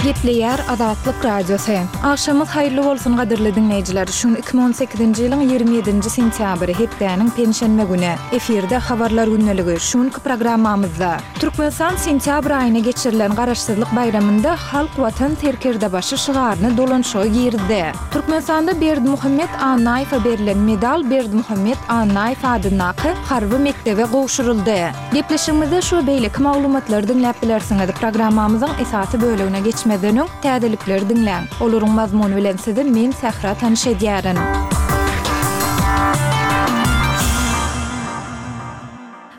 Gepleýär Azatlyk Radiosy. Agşamyňyz haýyrly bolsun gadyrly diňleýjiler. Şu gün 2018-nji ýylyň 27-nji sentýabry, hepdäniň penşenbe güni. Efirde Habarlar gündeligi. Şu günki programmamyzda. Türkmenistan sentýabr aýynda geçirilen Garaşsyzlyk baýramynda Halk Watan serkerdebaşy şygaryny dolanyşyga girizdi. Türkmenistanda Berdimuhamet Annaýewe berlen medal Berdimuhamet Annaýew adyndaky harby mekdebe gowşuryldy. Gepleşigimizde şu we beýleki maglumatlary diňläp bilersiňiz. Programmamyzyň esasy bölegine geçmezden öň, täzelikleri diňläň. Olaryň mazmuny bilen sizi men Sähra tanyş edýärin.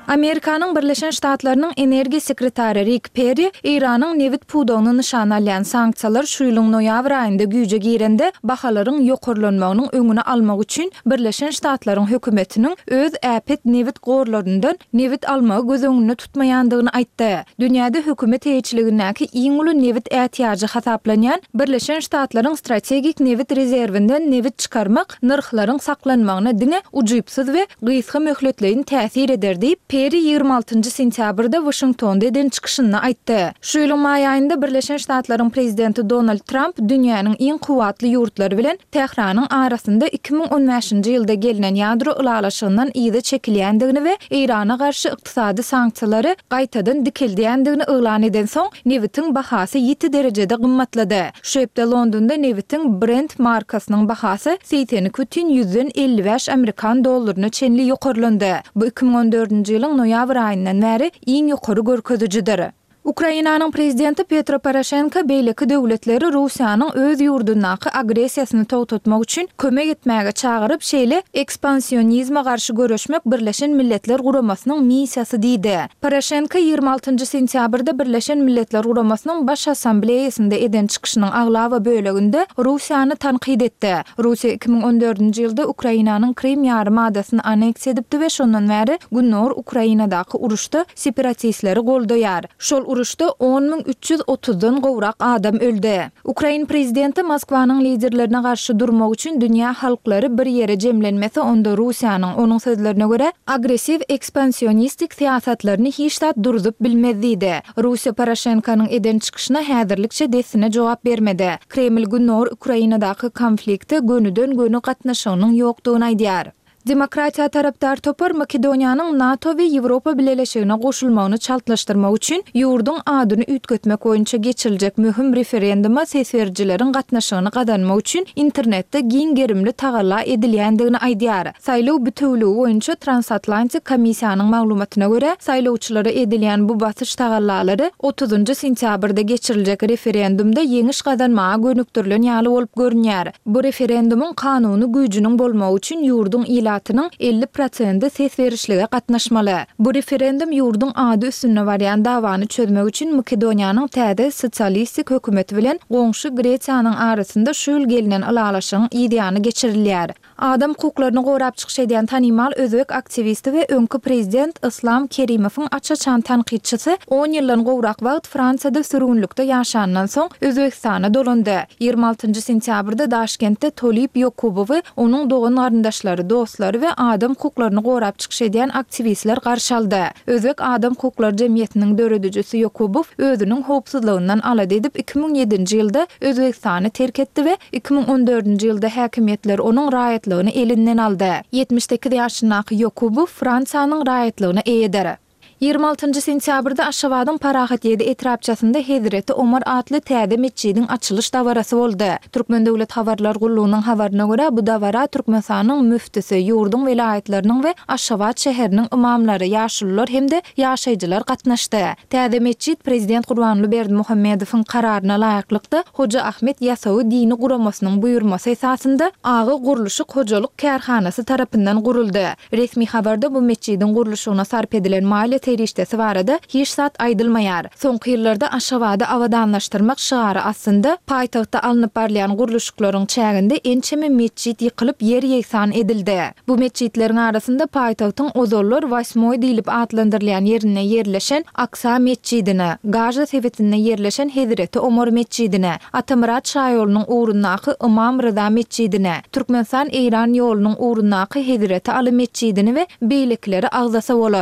Amerikanyň Birleşen Ştatlarynyň energiýa sekretary Rik Perri Eýranyň nebit pudagyny nyşana alýan sanksiýalar şu ýylyň noýabr aýynda güýje girende bahalaryň ýokarlanmagynyň öňüni almak üçin Birleşen Ştatlaryň hökümetiniň öz äpet nebit gorlaryndan nebit almagy göz öňünde tutmaýandygyny aýtdy. Dünýäde hökümet eýeçiligindäki iň uly nebit ätiýajy hasaplanýan Birleşen Ştatlaryň strategik nebit rezerwinden nebit çykarmak nyrhlaryň saklanmagyna diňe ujypsyz we gysga möhletleýin täsir eder diýip, Perri 26 sentýabrda Waşingtonda eden çykyşynda aýtdy. Şu ýylyň maý aýynda Birleşen Ştatlaryň prezidenti Donald Tramp dünýäniň iň kuwwatly ýurtlary bilen Tähranyň arasynda 2015-nji ýylda gelnen ýadro ylalaşygyndan yza çekilýändigini we Eýrana garşy ykdysady sanksiýalary gaýtadan dikeldýändigini yglan edensoň, nebitiň bahasy ýiti derejede gymmatlady. Şu hepde Londonda nebitiň Brent markasynyň bahasy 82,55 amerikan dollaryna çenli ýokarlandy. Bu 2014-nji ýylyň noýabr aýyndan bäri iň ýokary görkezijidir. Ukrainanyň prezidenti Petro Poroşenko beýleki döwletleri Russiýanyň öz ýurdundaky agressiýasyny togtatmak üçin kömek etmäge çagyryp, şeýle ekspansionizme garşy göreşmek Birleşen Milletler Guramasynyň missiýasy diýdi. Poroşenko 26 sentýabrda Birleşen Milletler Guramasynyň Baş Assambleýasynda eden çykyşynyň aglaba böleginde Russiýany tankyt etdi. Russiýa 2014-nji ýylda Ukrainanyň Krym ýarym adasyny anneksiýa edipdi we şondan bäri Gündogar Ukrainadaky uruşda separatistleri goldaýar. Şol uruşda 10 330-dan gowrak adam öldi. Ukrain prezidenti Moskwanyň liderlerine garşy durmak üçin dünýä halklary bir ýere jemlenmese, onda Russiýanyň, onuň sözlerine görä, agressiw ekspansionistik syýasatlaryny hiç zat durzup bilmez diýdi. Russiýa Poroşenkonyň eden çykyşyna häzirlikçe dessine jogap bermedi. Kreml Gündogar Ukrainadaky konflikte gönüden-göni gatnaşygynyň ýokdugyny aýdýar. Demokratiýa tarapdar topar Makedoniýanyň NATO we Ýewropa Bileleşigine goşulmagyny çaltlaşdyrmak üçin ýurduň adyny üýtgetmek boýunça geçiriljek möhüm referenduma ses berijileriň gatnaşygyny gazanmak üçin internetde giň gerimli tagalla edilýändigini aýdýar. Saýlaw bitewüligi boýunça Transatlantik komissiýanyň maglumatyna görä, saýlawçylara edilýän bu basyş tagallalary otuzynjy sentýabrda geçiriljek referendumda ýeňiş gazanmaga gönükdirilen ýaly bolup görünýär. Bu referendumyň kanuny güýjüniň bolmagy üçin ýurduň ilatynyň 50 prosendi ses berişlige gatnaşmaly. Bu referendum ýurduň ady üstünde barýan dawany çözmek üçin Makedoniýanyň täze sosialistik hökümeti bilen goňşy Gresiýanyň arasynda şu ýyl gelnen ylalaşygyň yzýany geçirilýär. Adam hukuklaryny gorap çykyş edýän tanymal özbek aktiwisti we öňki prezident Yslam Kerimowyň aç-açan tankytçysy on ýyldan gowrak wagt Fransiýada sürgünlikde ýaşandan soň, Özbegistana dolandy. 26-njy sentýabrda Daşkentde Tolib Ýokubowy onuň dogan-garyndaşlary, dostlary we adam hukuklaryny gorap çykyş edýän aktiwistler garşy aldy. Özbek adam hukuklary jemgyýetiniň döredijisi Ýokubow özüniň howpsuzlygyndan alada edip 2007-nji ýylda Özbegistany terk etdi we 2014-nji ýylda häkimiýetler onuň raýatlygyny elinden aldy. 78 ýaşyndaky Ýokubow Fransiýanyň raýatlygyna eýedir. 26-njy sentýabrda Aşgabadyň Parahat ýedi etrapçasynda Hezreti Omar atly täze metjidiň açylyş dabarasy boldy. Türkmen döwlet habarlar gullugynyň habaryna görä, bu dabara Türkmenistanyň müftüsi, ýurduň welaýatlarynyň we Aşgabat şäheriniň ymamlary, ýaşulular hem-de ýaşaýjylar gatnaşdy. Täze metjit prezident Gurbanguly Berdimuhamedowyň kararyna laýyklykda, Hoja Ahmet Ýasawy dini guramasynyň buýurmasy esasynda Aga gurluşyk hojalyk kärhanasy tarapyndan guruldy. Resmi habarda bu metjidiň gurluşygyna sarp edilen maliýe serişdesi barada hiç zat aýdylmaýar. Soňky ýyllarda Aşgabady abadanlaşdyrmak şygary astynda paýtagtda alnyp barylýan gurluşyklaryň çäginde ençeme metjit ýykylyp ýer ýegsan edildi. Bu metjitleriň arasynda paýtagtyň ozallar Wasmoý diýlip atlandyrylýan ýerinde ýerleşen Aksa metjidini, Gaža sebitinde ýerleşen Hezreti Omar metjidini, Atamyrat şaýolunyň ugrundaky Ymam Ryza metjidini, Türkmenistan-Eýran ýolunyň ugrundaky Hezreti Aly metjidini we beýlekileri agzasa bolar.